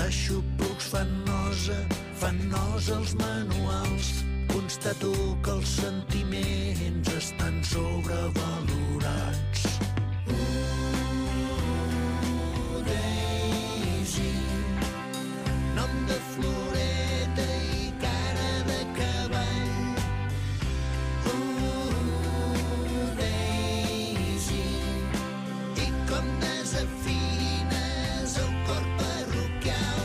Aixoplucs fan nosa els manuals. Constato que els sentiments estan sobrevalorats. Daisy, nom de floreta i cara de cavall. Daisy, i com desafines el cor parroquial.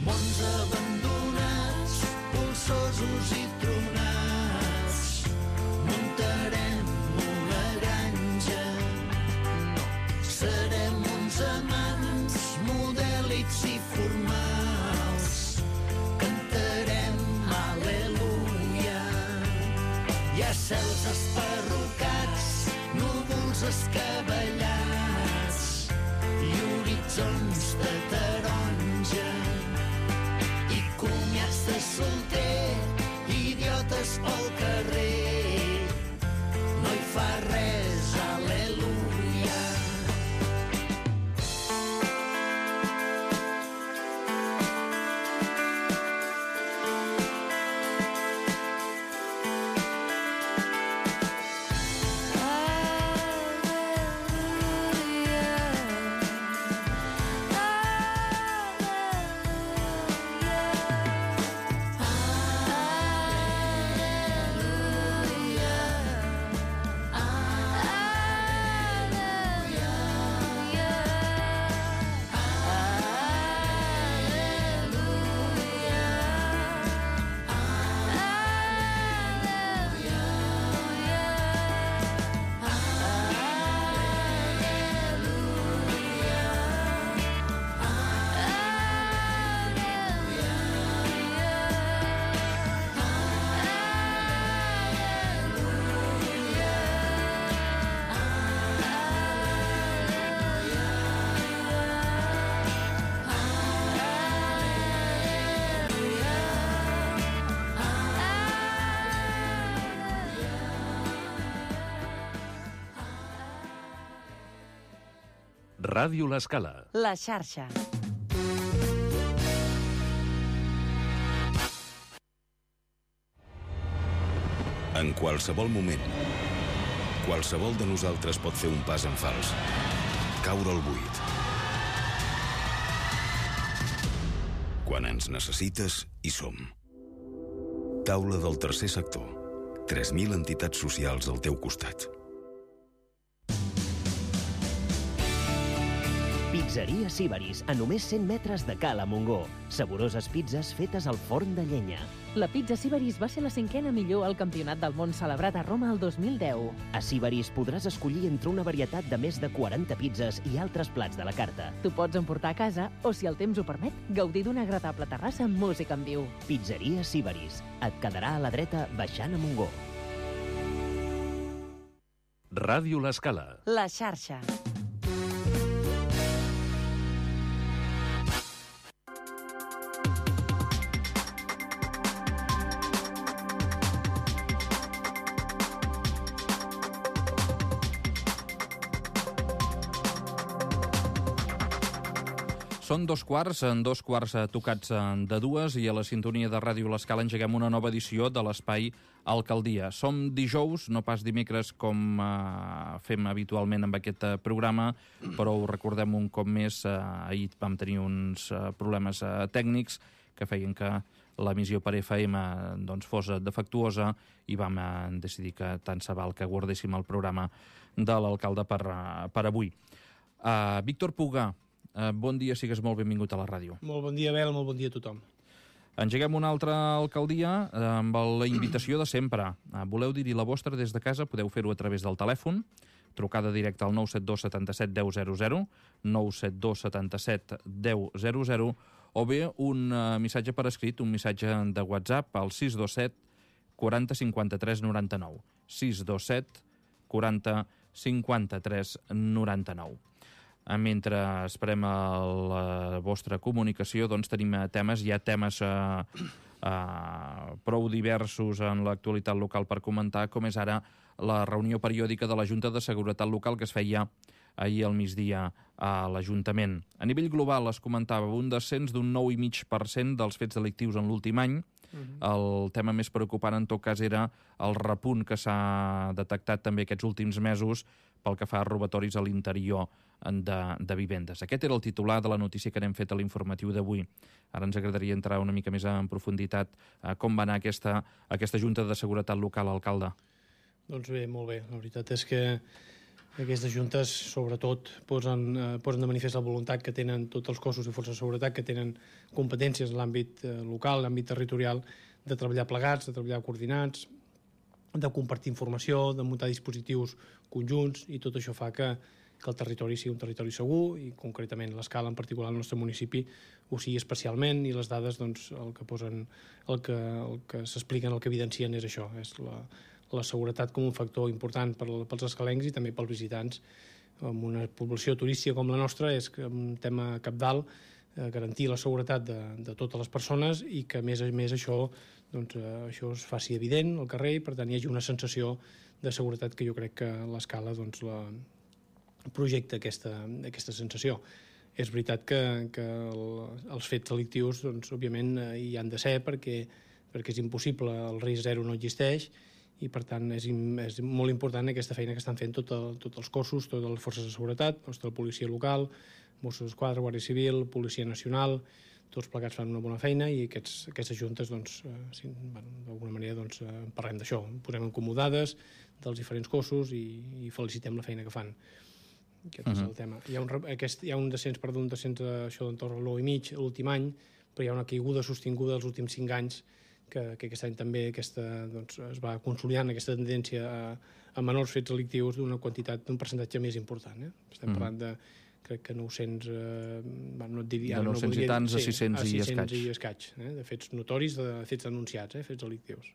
Mons abandonats, polsosos i tronats. Muntarem una granja. Serem uns amants modèlics i formals. Cantarem Al·leluia. Hi ha cels esparrocats, núvols escabellats i horitzons de taronja. I comiats de solter, idiotes pel carrer. No hi fa res, al·leluia. Ràdio L'Escala. La xarxa. En qualsevol moment, qualsevol de nosaltres pot fer un pas en fals, caure al buit. Quan ens necessites, hi som. Taula del tercer sector. 3.000 entitats socials al teu costat. Pizzeria Sibaris, a només 100 metres de Cala Montgó. Saboroses pizzas fetes al forn de llenya. La pizza Sibaris va ser la 5a millor al Campionat del Món celebrat a Roma el 2010. A Sibaris podràs escollir entre una varietat de més de 40 pizzas i altres plats de la carta. Tu pots emportar a casa o, si el temps ho permet, gaudir d'una agradable terrassa amb música en viu. Pizzeria Sibaris. Et quedarà a la dreta baixant a Montgó. Ràdio L'Escala. La xarxa. Són dos quarts tocats de dues, i a la sintonia de Ràdio L'Escala engeguem una nova edició de l'Espai Alcaldia. Som dijous, no pas dimecres com fem habitualment amb aquest programa, però ho recordem un cop més. Ahir vam tenir uns problemes tècnics que feien que l'emissió per FM fos defectuosa, i vam decidir que tant se val que guardéssim el programa de l'alcalde per avui. Víctor Puga, bon dia, sigues molt benvingut a la ràdio. Molt bon dia, Abel, molt bon dia a tothom. Engeguem una altra alcaldia amb la invitació de sempre. Voleu dir-hi la vostra des de casa? Podeu fer-ho a través del telèfon, trucada directa al 972 77 10 00, 972 77 10 00, o bé un missatge per escrit, un missatge de WhatsApp al 627 40 53 99. 627 40 53 99. Mentre esperem la vostra comunicació, doncs tenim temes, hi ha temes prou diversos en l'actualitat local per comentar, com és ara la reunió periòdica de la Junta de Seguretat Local que es feia ahir al migdia a l'Ajuntament. A nivell global es comentava un descens d'un 9,5% dels fets delictius en l'últim any. El tema més preocupant en tot cas era el repunt que s'ha detectat també aquests últims mesos pel que fa a robatoris a l'interior de vivendes. Aquest era el titular de la notícia que n'hem fet a l'informatiu d'avui. Ara ens agradaria entrar una mica més en profunditat a com va anar aquesta Junta de Seguretat Local, alcalde. Doncs bé, molt bé. La veritat és que aquestes juntes, sobretot, posen de manifest la voluntat que tenen tots els cossos de força de seguretat, que tenen competències en l'àmbit local, en l'àmbit territorial, de treballar plegats, de treballar coordinats, de compartir informació, de muntar dispositius conjunts, i tot això fa que el territori sigui un territori segur, i concretament l'Escala, en particular el nostre municipi, ho sigui especialment, i les dades, doncs, el que s'expliquen, el que evidencien és això, és la seguretat com un factor important pels escalencs i també pels visitants. En una població turística com la nostra és un tema cabdal, garantir la seguretat de totes les persones, i que a més a més això es faci evident al carrer, i per tant hi hagi una sensació de seguretat que jo crec que l'Escala projecta aquesta sensació. És veritat que els fets delictius, òbviament, hi han de ser perquè és impossible, el risc zero no existeix, i per tant és molt important aquesta feina que estan fent tots els cossos, totes les forces de seguretat, la policia local, Mossos d'Esquadra, Guàrdia Civil, Policia Nacional, tots plegats fan una bona feina, i aquestes juntes, d'alguna manera, parlem d'això, posem incomodades dels diferents cossos i felicitem la feina que fan. Aquest és el tema. Hi ha un descens d'això d'entorn al 9,5 l'últim any, però hi ha una caiguda sostinguda dels últims 5 anys, que aquest any també es va consolidant aquesta tendència a menors fets delictius d'un percentatge més important. Estem parlant de, crec que 900... De 900 i tants a 600 i escaig. De fets notoris, de fets denunciats, fets delictius.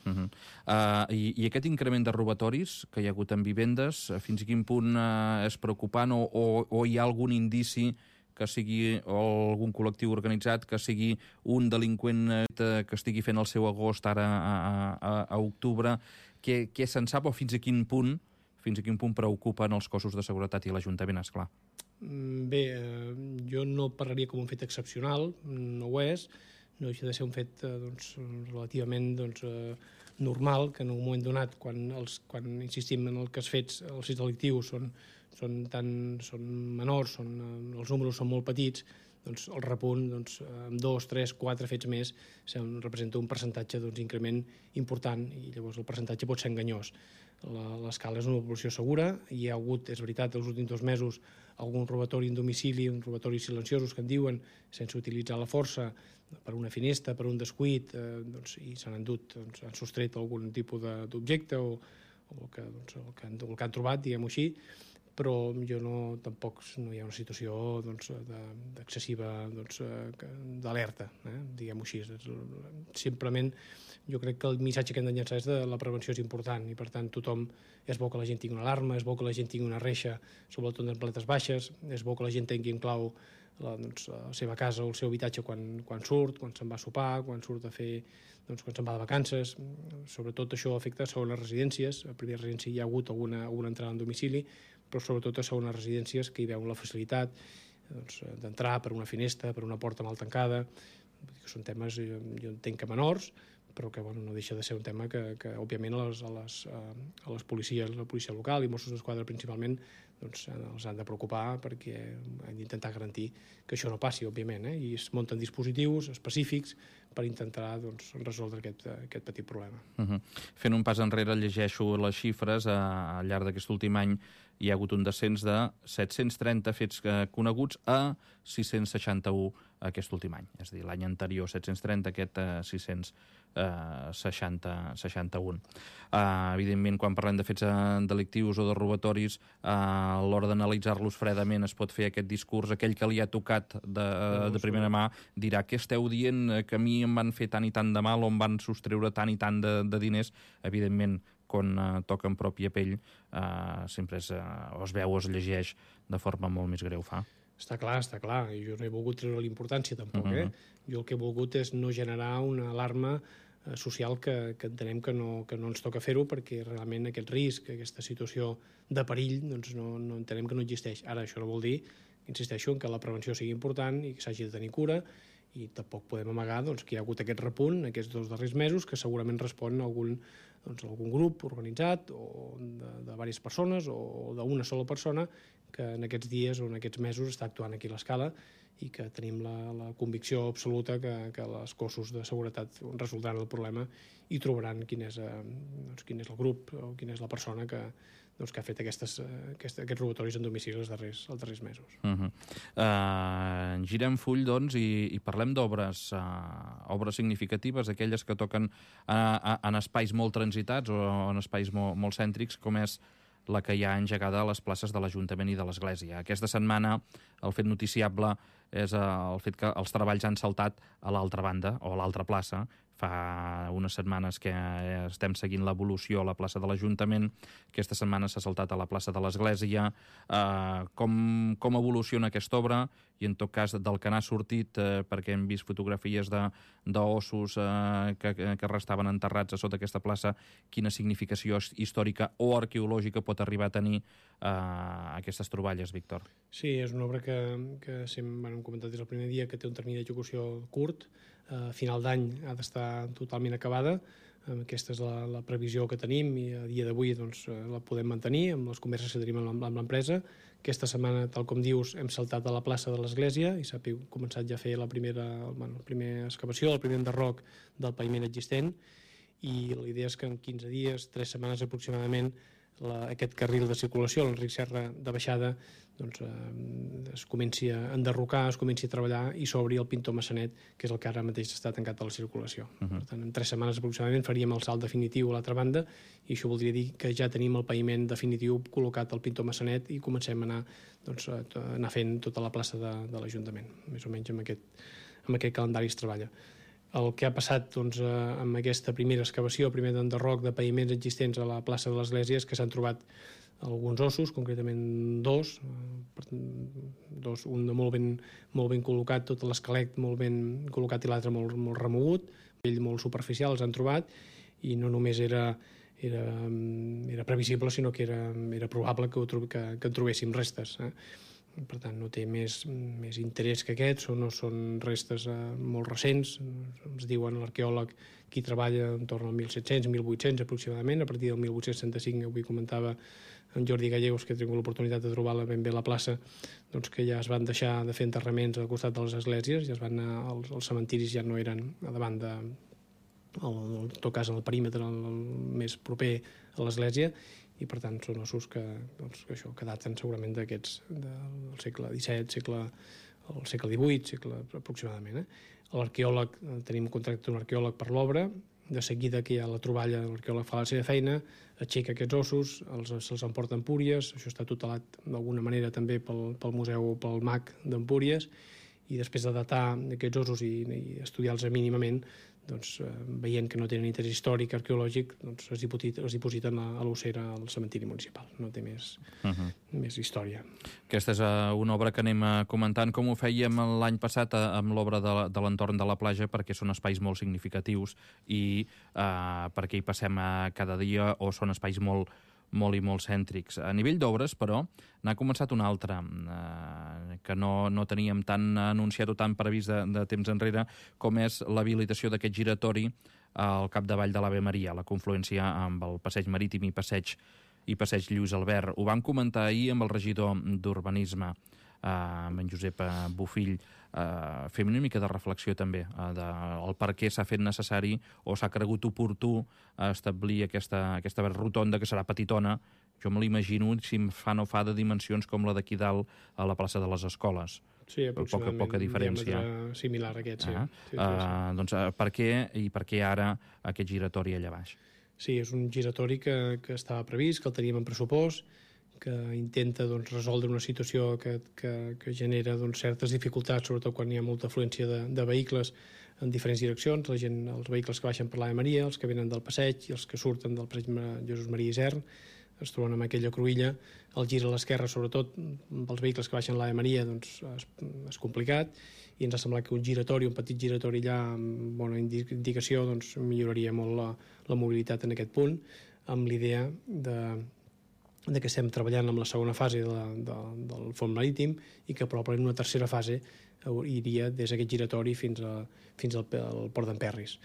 I aquest increment de robatoris que hi ha hagut en vivendes, fins a quin punt és preocupant, o hi ha algun indici que sigui algun col·lectiu organitzat, que sigui un delinqüent que estigui fent el seu agost ara a octubre? Què se'n sap, o fins a quin punt preocupen els cossos de seguretat i l'Ajuntament, esclar? Bé, jo no parlaria com un fet excepcional, no ho és, no deixa de ser un fet relativament normal, que en un moment donat, quan insistim en els fets delictius són menors, els números són molt petits, doncs el repunt amb 2, 3, 4 fets més representa un percentatge d'increment important, i llavors el percentatge pot ser enganyós. L'Escala és una població segura, hi ha hagut, és veritat, els últims 2 mesos algun robatori en domicili, uns robatoris silenciosos que en diuen, sense utilitzar la força, per una finestra, per un descuit, i s'han sostret algun tipus d'objecte o el que han trobat, diguem-ho així, però tampoc no hi ha una situació excessiva d'alerta, diguem-ho així. Simplement, jo crec que el missatge que hem de llançar és que la prevenció és important, i per tant tothom, és bo que la gent tingui una alarma, és bo que la gent tingui una reixa, sobretot en plates baixes, és bo que la gent tingui en clau la seva casa o el seu habitatge quan surt, quan se'n va a sopar, quan surt a fer, quan se'n va de vacances. Sobretot això afecta a segones residències. A primera residència hi ha hagut alguna entrada en domicili, però sobretot a segones residències que hi veuen la facilitat d'entrar per una finestra, per una porta mal tancada. Són temes, jo entenc que menors, però que no deixa de ser un tema que òbviament a les policies, la policia local i Mossos d'Esquadra principalment, els han de preocupar, perquè han d'intentar garantir que això no passi, òbviament, i es munten dispositius específics per intentar resoldre aquest petit problema. Fent un pas enrere, llegeixo les xifres. Al llarg d'aquest últim any hi ha hagut un descens de 730 fets coneguts a 661 aquest últim any. És a dir, l'any anterior 730, aquest 661. Evidentment, quan parlem de fets delictius o de robatoris, a l'hora d'analitzar-los fredament es pot fer aquest discurs. Aquell que li ha tocat de primera mà dirà: què esteu dient, que a mi em van fer tant i tant de mal, o em van sostreure tant i tant de diners? Evidentment, quan toca en pròpia pell, sempre es veu o es llegeix de forma molt més greu, fa. Està clar, i jo no he volgut treure l'importància tampoc. Jo el que he volgut és no generar una alarma social que entenem que no ens toca fer-ho, perquè realment aquest risc, aquesta situació de perill, doncs no entenem que no existeix. Ara, això no vol dir, insisteixo, que la prevenció sigui important i que s'hagi de tenir cura, i tampoc podem amagar que hi ha hagut aquest repunt aquests 2 darrers mesos, que segurament respon a algun grup organitzat o de diverses persones o d'una sola persona que en aquests dies o en aquests mesos està actuant aquí a l'Escala, i que tenim la convicció absoluta que els cossos de seguretat resoldran el problema i trobaran quin és el grup o quina és la persona que ha fet aquests robatoris en domicili els darrers mesos. Girem full, doncs, i parlem d'obres significatives, aquelles que toquen en espais molt transitats o en espais molt cèntrics, com és la que hi ha engegada a les places de l'Ajuntament i de l'Església. Aquesta setmana el fet noticiable és el fet que els treballs han saltat a l'altra banda, o a l'altra plaça. Fa unes setmanes que estem seguint l'evolució a la plaça de l'Ajuntament. Aquesta setmana s'ha saltat a la plaça de l'Església. Com evoluciona aquesta obra? I, en tot cas, del que n'ha sortit, perquè hem vist fotografies d'ossos que restaven enterrats a sota aquesta plaça, quina significació històrica o arqueològica pot arribar a tenir aquestes troballes, Víctor? Sí, és una obra que hem comentat des del primer dia, que té un termini d'execució curt. A final d'any ha d'estar totalment acabada. Aquesta és la previsió que tenim, i a dia d'avui la podem mantenir amb les converses que tenim amb l'empresa. Aquesta setmana, tal com dius, hem saltat a la plaça de l'Església i s'ha començat ja a fer la primera excavació, el primer enderroc del paviment existent, i la idea és que en 15 dies, 3 setmanes aproximadament, aquest carril de circulació, l'Enric Serra de baixada, es comenci a enderrocar, es comenci a treballar i s'obri el Pintor Massanet, que és el que ara mateix està tancat a la circulació. Per tant, en 3 setmanes aproximadament faríem el salt definitiu a l'altra banda, i això voldria dir que ja tenim el paviment definitiu col·locat al Pintor Massanet i comencem a anar fent tota la plaça de l'Ajuntament. Més o menys amb aquest calendari es treballa. El que ha passat amb aquesta primera excavació, primer d'enderroc de paviments existents a la plaça de l'Església, és que s'han trobat alguns ossos, concretament 2, un molt ben col·locat, tot l'esquelet molt ben col·locat i l'altre molt remogut, ell molt superficial, els han trobat, i no només era previsible, sinó que era probable que en trobéssim restes. Per tant, no té més interès que aquest, no són restes molt recents. Ens diuen l'arqueòleg que hi treballa en torn al 1700, 1800 aproximadament. A partir del 1865, avui comentava en Jordi Gallegos, que ha tingut l'oportunitat de trobar ben bé la plaça, que ja es van deixar de fer enterraments al costat de les esglésies, ja es van anar, els cementiris ja no eren a davant en tot cas, en el perímetre més proper a l'església, i per tant són ossos que daten segurament del segle XVII, el segle XVIII, aproximadament. L'arqueòleg, tenim un contracte d'un arqueòleg per l'obra, de seguida que hi ha la troballa, l'arqueòleg fa la seva feina, aixeca aquests ossos, se'ls emporta a Empúries, això està tutelat d'alguna manera també pel museu, pel MAC d'Empúries, i després de datar aquests ossos i estudiar-los mínimament, veient que no tenen interès històric, arqueològic, es dipositen a l'ossera al cementiri municipal. No té més història. Aquesta és una obra que anem comentant, com ho fèiem l'any passat amb l'obra de l'entorn de la platja, perquè són espais molt significatius i perquè hi passem cada dia, o són espais molt i molt cèntrics. A nivell d'obres, però, n'ha començat una altra que no teníem tan anunciat o tan previst de temps enrere, com és l'habilitació d'aquest giratori al capdavall de l'Ave Maria, la confluència amb el passeig marítim i passeig Lluís Albert. Ho vam comentar ahir amb el regidor d'Urbanisme, amb en Josep Bofill. Fem una mica de reflexió també del per què s'ha fet necessari o s'ha cregut oportú establir aquesta rotonda, que serà petitona. Jo me l'imagino, si no fa de dimensions com la d'aquí dalt a la plaça de les Escoles. Sí, aproximadament. Poca diferència. Similar a aquest, sí. Doncs per què ara aquest giratori allà baix? Sí, és un giratori que estava previst, que el teníem en pressupost, que intenta resoldre una situació que genera certes dificultats, sobretot quan hi ha molta afluència de vehicles en diferents direccions, els vehicles que baixen per l'Ave Maria, els que venen del passeig i els que surten del passeig Jesús Maria Isern, es troben amb aquella cruïlla. El gir a l'esquerra, sobretot pels vehicles que baixen l'Ave Maria, és complicat, i ens ha semblat que un petit giratori allà amb bona indicació doncs, milloraria molt la mobilitat en aquest punt, amb l'idea de que estem treballant amb la segona fase del fons marítim i que probablement una tercera fase iria des d'aquest giratori fins al port d'Emperris.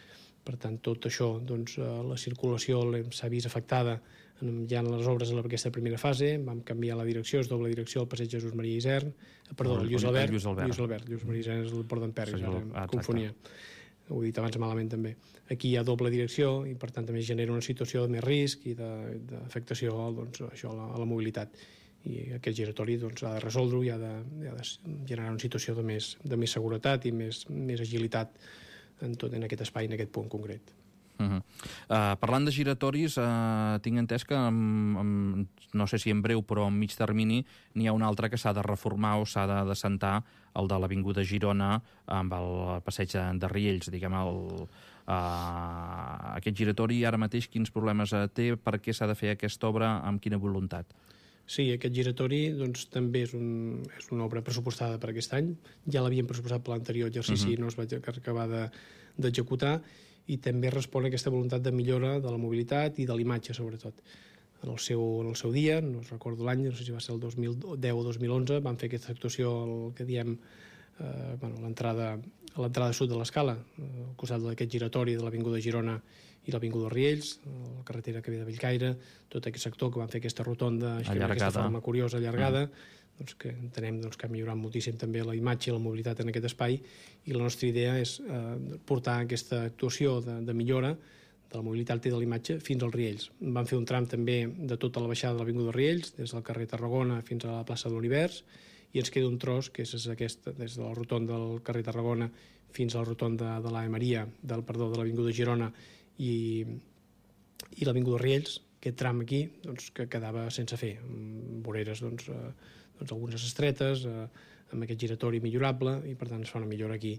Per tant, tot això, doncs, la circulació s'ha vist afectada ja en les obres en aquesta primera fase. Vam canviar la direcció, és doble direcció al passeig Jesús Maria Isern, Lluís Albert. Lluís Maria Isern és el port d'Emperris, ara confonia. Ho he dit abans malament també. Aquí hi ha doble direcció i per tant també genera una situació de més risc i d'afectació doncs, a la mobilitat. I aquest giratori doncs, ha de resoldre-ho i ha de generar una situació de més seguretat i més agilitat en aquest espai, en aquest punt concret. Parlant de giratoris, tinc entès que, no sé si en breu, però en mig termini, n'hi ha un altre que s'ha de reformar o s'ha d'assentar, el de l'Avinguda Girona amb el passeig de Riells. Diguem, aquest giratori ara mateix quins problemes té, per què s'ha de fer aquesta obra, amb quina voluntat? Sí, aquest giratori doncs, també és una obra pressupostada per aquest any. Ja l'havíem pressupostat per l'anterior exercici, no es va acabar d'executar, i també respon a aquesta voluntat de millora de la mobilitat i de l'imatge, sobretot. En el seu dia, no recordo l'any, no sé si va ser el 2010 o 2011, van fer aquesta actuació, el que diem a l'entrada sud de l'Escala, al costat d'aquest giratori de l'Avinguda Girona i l'Avinguda Riells, la carretera que ve de Bellcaire, tot aquest sector que van fer aquesta rotonda, aquesta forma curiosa, allargada, doncs que entenem que ha millorat moltíssim també la imatge i la mobilitat en aquest espai, i la nostra idea és portar aquesta actuació de millora de la mobilitat i de l'imatge fins als Riells. Van fer un tram també de tota la baixada de l'Avinguda Riells, des del carrer Tarragona fins a la plaça de l'Univers, i ens queda un tros, que és aquesta, des de la rotonda del carrer Tarragona fins a la rotonda de l'Ave Maria, de l'Avinguda Girona i l'Avinguda Riells, aquest tram aquí que quedava sense fer, amb voreres algunes estretes, amb aquest giratori millorable, i per tant es fa una millora aquí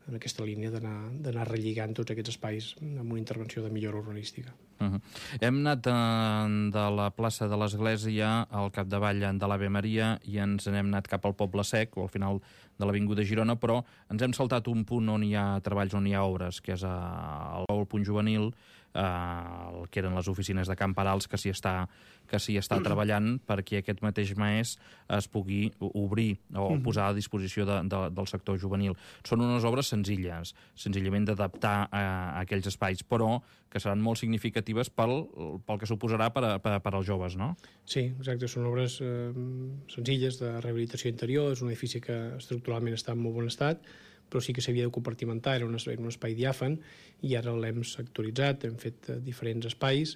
en aquesta línia d'anar relligant tots aquests espais amb una intervenció de millora urbanística. Hem anat de la plaça de l'Església al capdavall de l'Ave Maria i ens n'hem anat cap al Poble Sec o al final de l'Avinguda Girona, però ens hem saltat un punt on hi ha treballs, on hi ha obres, que és el punt juvenil, el que eren les oficines de Camp Perals, que s'hi està treballant perquè aquest mateix mes es pugui obrir o posar a disposició del sector juvenil. Són unes obres senzilles, senzillament d'adaptar a aquells espais, però que seran molt significatives pel que suposarà per als joves, no? Sí, exacte, són obres senzilles de rehabilitació interior, és un edifici que estructuralment està en molt bon estat, però sí que s'havia de compartimentar, era un espai diàfan, i ara l'hem sectoritzat, hem fet diferents espais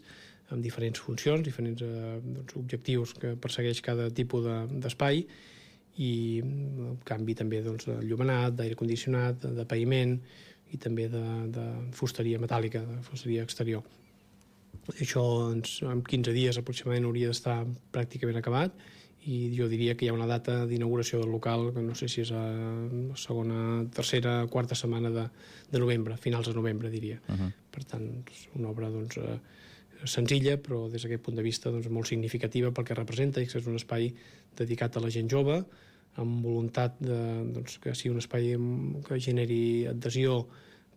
amb diferents funcions, diferents objectius que persegueix cada tipus d'espai, i el canvi també d'enllumenat, d'aire condicionat, de paviment i també de fusteria metàl·lica, de fusteria exterior. Això en 15 dies aproximadament hauria d'estar pràcticament acabat, i jo diria que hi ha una data d'inauguració del local, que no sé si és a la segona, tercera, quarta setmana de novembre, finals de novembre, diria. Per tant, una obra senzilla, però des d'aquest punt de vista molt significativa pel que representa, i que és un espai dedicat a la gent jove, amb voluntat que sigui un espai que generi adhesió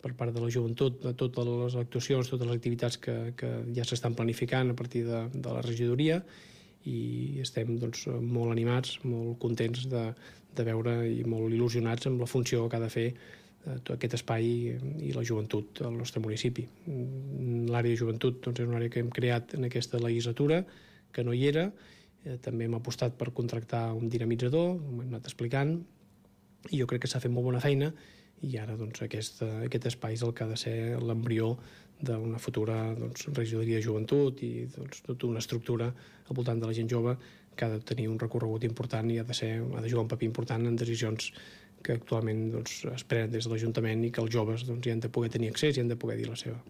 per part de la joventut de totes les actuacions, totes les activitats que ja s'estan planificant a partir de la regidoria, i estem molt animats, molt contents de veure i molt il·lusionats amb la funció que ha de fer tot aquest espai i la joventut al nostre municipi. L'àrea de joventut és una àrea que hem creat en aquesta legislatura, que no hi era. També hem apostat per contractar un dinamitzador, ho hem anat explicant, i jo crec que s'ha fet molt bona feina, i ara aquest espai és el que ha de ser l'embrió d'una futura regidoria de joventut i tota una estructura al voltant de la gent jove que ha de tenir un recorregut important i ha de jugar un paper important en decisions que actualment es prenen des de l'Ajuntament i que els joves hi han de poder tenir accés i han de poder dir la seva.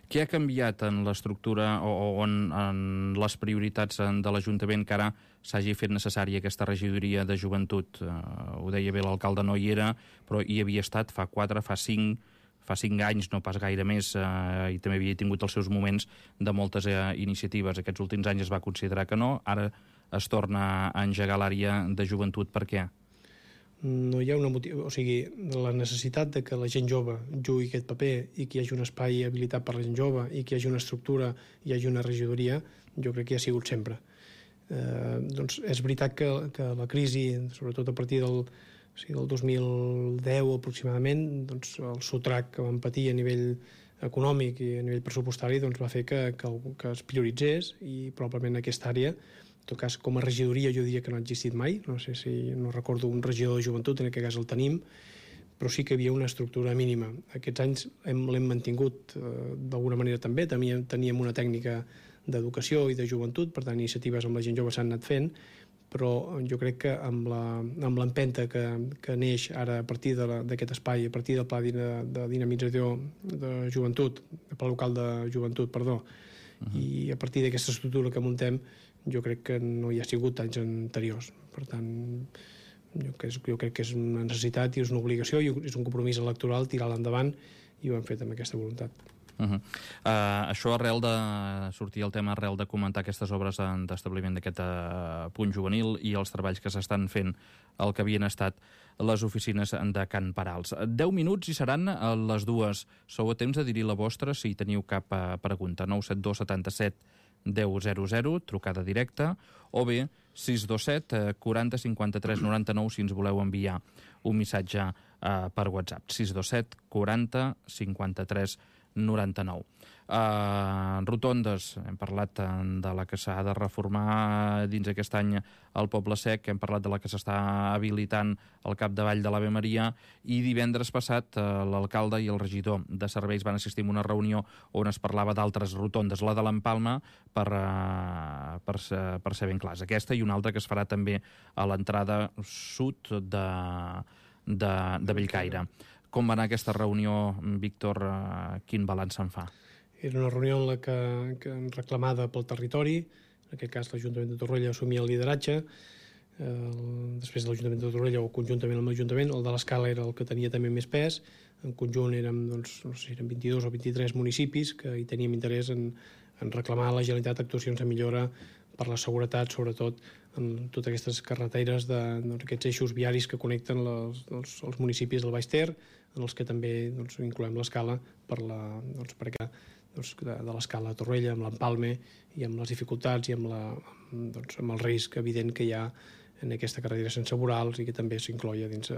Què ha canviat en l'estructura o en les prioritats de l'Ajuntament que ara s'hagi fet necessària aquesta regidoria de joventut? Ho deia bé l'alcalde, no hi era, però hi havia estat fa 4, fa 5 anys, no pas gaire més, i també havia tingut els seus moments de moltes iniciatives. Aquests últims anys es va considerar que no, ara es torna a engegar l'àrea de joventut. Per què? no hi ha o sigui, la necessitat de que la gent jove jugui aquest paper i que hi hagi un espai habilitat per la gent jove i que hi hagi una estructura, hi hagi una regidoria, jo crec que hi ha sigut sempre. Doncs és veritat que la crisi, sobretot a partir del 2010 aproximadament, doncs el sotrac que vam patir a nivell econòmic i a nivell pressupostari doncs va fer que es prioritzés, i probablement aquesta àrea, en tot cas com a regidoria jo diria que no ha existit mai, no recordo un regidor de joventut, en aquest cas el tenim, però sí que hi havia una estructura mínima. Aquests anys l'hem mantingut d'alguna manera també, teníem una tècnica d'educació i de joventut, per tant iniciatives amb la gent jove s'han anat fent, però jo crec que amb l'empenta que neix ara a partir d'aquest espai, a partir del pla de dinamització de joventut, el pla local de joventut, perdó, i a partir d'aquesta estructura que muntem, jo crec que no hi ha sigut anys anteriors. Per tant, jo crec que és una necessitat i és una obligació i és un compromís electoral tirar-la endavant, i ho hem fet amb aquesta voluntat. Això arrel de sortir el tema, arrel de comentar aquestes obres d'establiment d'aquest punt juvenil i els treballs que s'estan fent el que havien estat les oficines de Can Parals. 10 minuts i seran les 2. Sou a temps de dir la vostra si teniu cap pregunta. 972 77 1000, trucada directa, o bé 627 40 53 99 si ens voleu enviar un missatge per WhatsApp. 627 40 53 99. Rotondes, hem parlat de la que s'ha de reformar dins aquest any al Poble Sec, hem parlat de la que s'està habilitant al capdavall de l'Ave Maria, i divendres passat l'alcalde i el regidor de serveis van assistir a una reunió on es parlava d'altres rotondes, la de l'Empalma, per ser ben clars. Aquesta i una altra que es farà també a l'entrada sud de Bellcaire. Com va anar aquesta reunió, Víctor? Quin balanç se'n fa? Era una reunió en la que reclamada pel territori, en aquest cas l'Ajuntament de Torroella assumia el lideratge, després de l'Ajuntament de Torroella o conjuntament amb l'Ajuntament, el de l'Escala era el que tenia també més pes, en conjunt érem, doncs, no sé si eren 22 o 23 municipis que hi teníem interès en reclamar a la Generalitat actuacions de millora per la seguretat, sobretot en totes aquestes carreteres, aquests eixos viaris que connecten els municipis del Baix Ter, en els que també incloem l'Escala perquè de l'Escala a Torroella, amb l'Empalme i amb les dificultats i amb el risc evident que hi ha en aquesta carretera sense vorals i que també s'incloia dins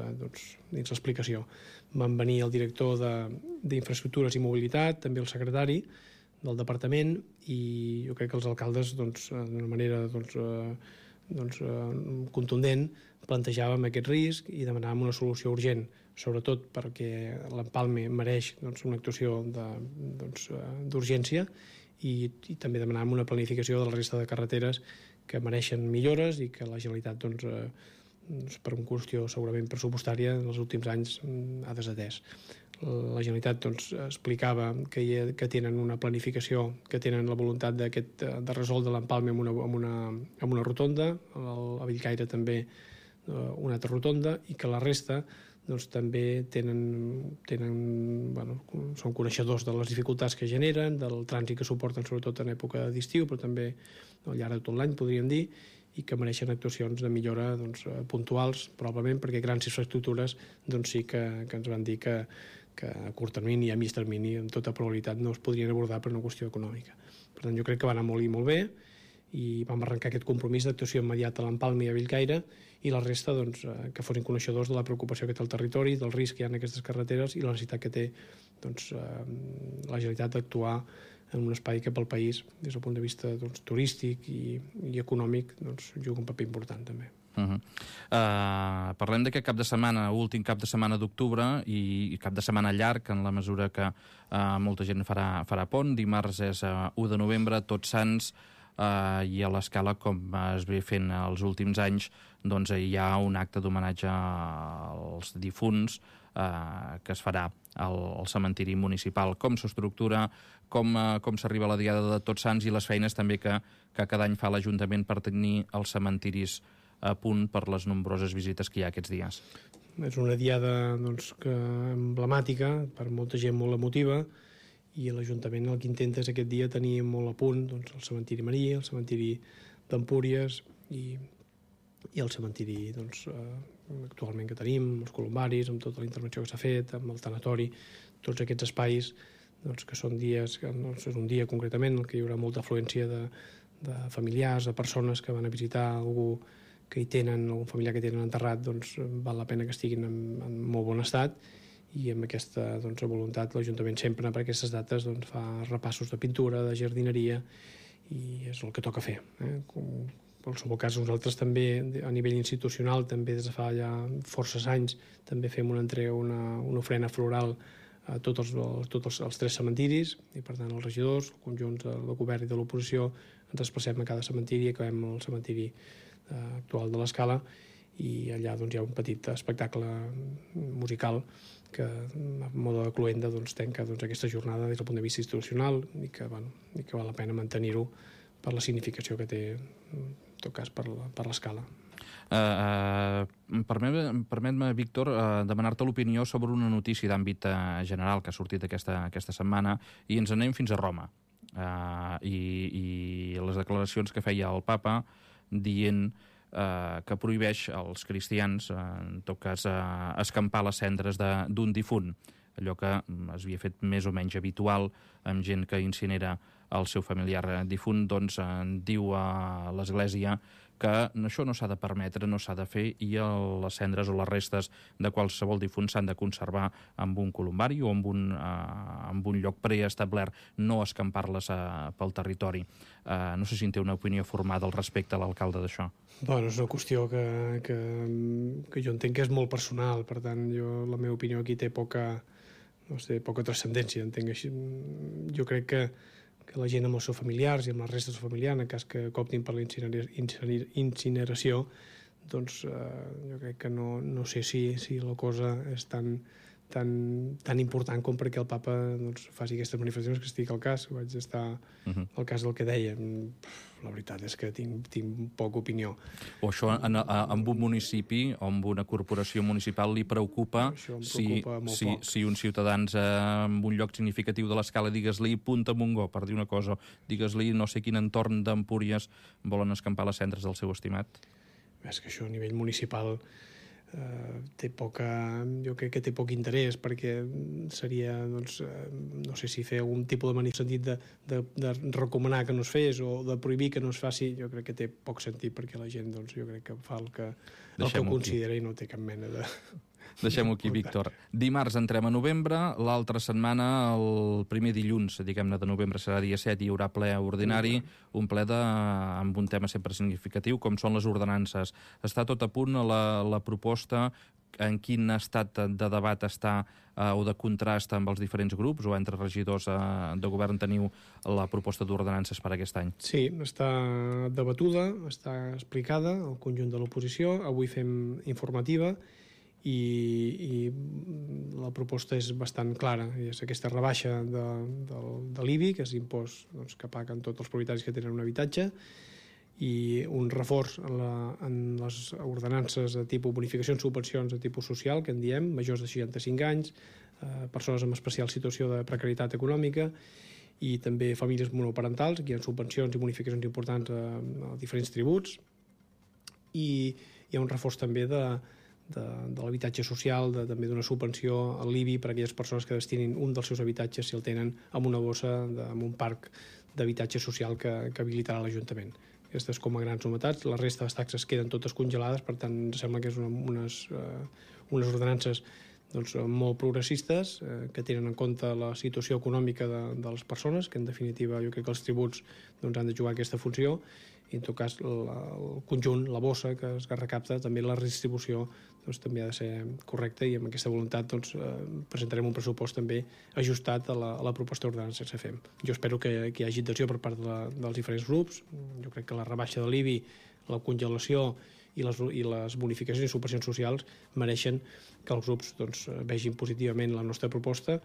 l'explicació. Van venir el director d'Infraestructures i Mobilitat, també el secretari del departament, i jo crec que els alcaldes d'una manera contundent plantejàvem aquest risc i demanàvem una solució urgent, sobretot perquè l'Empalme mereix una actuació d'urgència, i també demanàvem una planificació de la resta de carreteres que mereixen millores i que la Generalitat, per una qüestió segurament pressupostària, en els últims anys ha desatès. La Generalitat explicava que tenen una planificació, que tenen la voluntat de resoldre l'Empalme amb una rotonda, a Bellcaire també una altra rotonda, i que la resta també són coneixedors de les dificultats que generen, del trànsit que suporten sobretot en època d'estiu, però també al llarg de tot l'any, podríem dir, i que mereixen actuacions de millora puntuals, probablement, perquè grans infraestructures sí que ens van dir que a curt termini i a mig termini, amb tota probabilitat, no es podrien abordar per una qüestió econòmica. Per tant, jo crec que va anar molt i molt bé, i vam arrencar aquest compromís d'actuació immediata a l'Empalme i a Bellcaire, i la resta que fossin coneixedors de la preocupació que té el territori, del risc que hi ha en aquestes carreteres i la necessitat que té la Generalitat d'actuar en un espai que pel país, des del punt de vista turístic i econòmic, juga un paper important també. Parlem d'aquest cap de setmana, últim cap de setmana d'octubre, i cap de setmana llarg en la mesura que molta gent farà pont. Dimarts és 1 de novembre, Tots Sants, i a l'Escala, com es ve fent els últims anys, hi ha un acte d'homenatge als difunts que es farà al cementiri municipal. Com s'estructura, com s'arriba a la diada de Tots Sants i les feines també que cada any fa l'Ajuntament per tenir els cementiris a punt per les nombroses visites que hi ha aquests dies. És una diada emblemàtica, per molta gent molt emotiva, i l'Ajuntament el que intenta és aquest dia tenir molt a punt el cementiri Maria, el cementiri d'Empúries, i i el cementiri actualment que tenim, els columbaris, amb tota la intervenció que s'ha fet, amb el tanatori, tots aquests espais que són dies, és un dia concretament en què hi haurà molta afluència de familiars, de persones que van a visitar algú que hi tenen, algun familiar que tenen enterrat, val la pena que estiguin en molt bon estat, i amb aquesta voluntat l'Ajuntament sempre per aquestes dates fa repassos de pintura, de jardineria, i és el que toca fer. En qualsevol cas, nosaltres també, a nivell institucional, també des de fa ja forces anys, també fem una ofrena floral a tots els 3 cementiris, i per tant els regidors, els conjunts del govern i de l'oposició, ens desplacem a cada cementiri i acabem al cementiri actual de l'Escala, i allà hi ha un petit espectacle musical que, a modo de cloenda, tanca aquesta jornada des del punt de vista institucional i que val la pena mantenir-ho per la significació que té, en tot cas, per l'Escala. Permet-me, Víctor, demanar-te l'opinió sobre una notícia d'àmbit general que ha sortit aquesta setmana, i ens anem fins a Roma. I les declaracions que feia el papa dient que prohibeix als cristians, en tot cas, escampar les cendres d'un difunt, allò que es havia fet més o menys habitual amb gent que incinera el seu familiar difunt. Doncs diu a l'Església que això no s'ha de permetre, no s'ha de fer, i les cendres o les restes de qualsevol difunt s'han de conservar en un columbari o en un lloc preestablert, no escampar-les pel territori. No sé si en té una opinió formada al respecte a l'alcalde d'això. Bueno, és una qüestió que jo entenc que és molt personal, per tant, la meva opinió aquí té poca transcendència, entenc així. Jo crec que la gent amb els seus familiars i amb les restes familiars, en cas que optin per la incineració, jo crec que no sé si la cosa és tan important com perquè el papa faci aquestes manifestacions, que estic al cas, vaig estar al cas del que deia. La veritat és que tinc poca opinió. O això en un municipi o en una corporació municipal li preocupa si uns ciutadans en un lloc significatiu de l'Escala, digues-li Punta Montgó, per dir una cosa, digues-li no sé quin entorn d'Empúries, volen escampar les cendres del seu estimat? És que això a nivell municipal jo crec que té poc interès, perquè seria, no sé si fer algun tipus de sentit de recomanar que no es fes o de prohibir que no es faci. Jo crec que té poc sentit, perquè la gent, jo crec que fa el que considera i no té cap mena de... Deixem-ho aquí, Víctor. Dimarts entrem a novembre, l'altra setmana, el primer dilluns, diguem-ne, de novembre serà dia 7, hi haurà ple ordinari, un ple amb un tema sempre significatiu, com són les ordenances. Està tot a punt la proposta, en quin estat de debat està o de contrast amb els diferents grups, o entre regidors de govern teniu la proposta d'ordenances per aquest any? Sí, està debatuda, està explicada al conjunt de l'oposició, avui fem informativa, i la proposta és bastant clara. És aquesta rebaixa de l'IBI, que és l'impost que paguen tots els propietaris que tenen un habitatge, i un reforç en les ordenances de tipus bonificacions, subvencions de tipus social, que en diem, majors de 65 anys, persones amb especial situació de precarietat econòmica, i també famílies monoparentals, que hi ha subvencions i bonificacions importants a diferents tributs, i hi ha un reforç també de l'habitatge social, també d'una subvenció a l'IBI per a aquelles persones que destinin un dels seus habitatges, si el tenen, amb una bossa, amb un parc d'habitatge social que habilitarà l'Ajuntament. Aquestes com a grans novetats. La resta de les taxes queden totes congelades, per tant, ens sembla que és unes ordenances molt progressistes, que tenen en compte la situació econòmica de les persones, que en definitiva jo crec que els tributs han de jugar aquesta funció, i en tot cas el conjunt, la bossa que es recapta, també la redistribució també ha de ser correcta, i amb aquesta voluntat presentarem un pressupost també ajustat a la proposta d'ordenances que fem. Jo espero que hi hagi adhesió per part dels diferents grups. Jo crec que la rebaixa de l'IBI, la congelació i les bonificacions i subvencions socials mereixen que els grups vegin positivament la nostra proposta,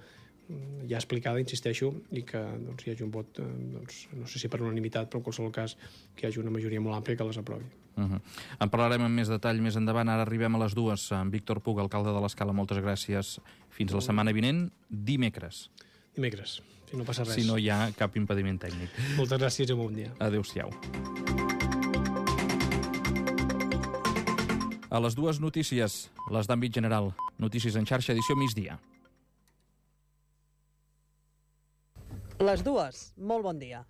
ja explicada, insisteixo, i que hi hagi un vot, no sé si per unanimitat, però en qualsevol cas que hi hagi una majoria molt àmplia que les aprovi. En parlarem amb més detall més endavant. Ara arribem a les 2. Víctor Puig, alcalde de l'Escala, moltes gràcies. Fins la setmana vinent, dimecres. Dimecres, si no passa res. Si no hi ha cap impediment tècnic. Moltes gràcies i bon dia. Adéu-siau. A les 2 notícies, les d'àmbit general. Notícies en xarxa, edició migdia. Les 2, molt bon dia.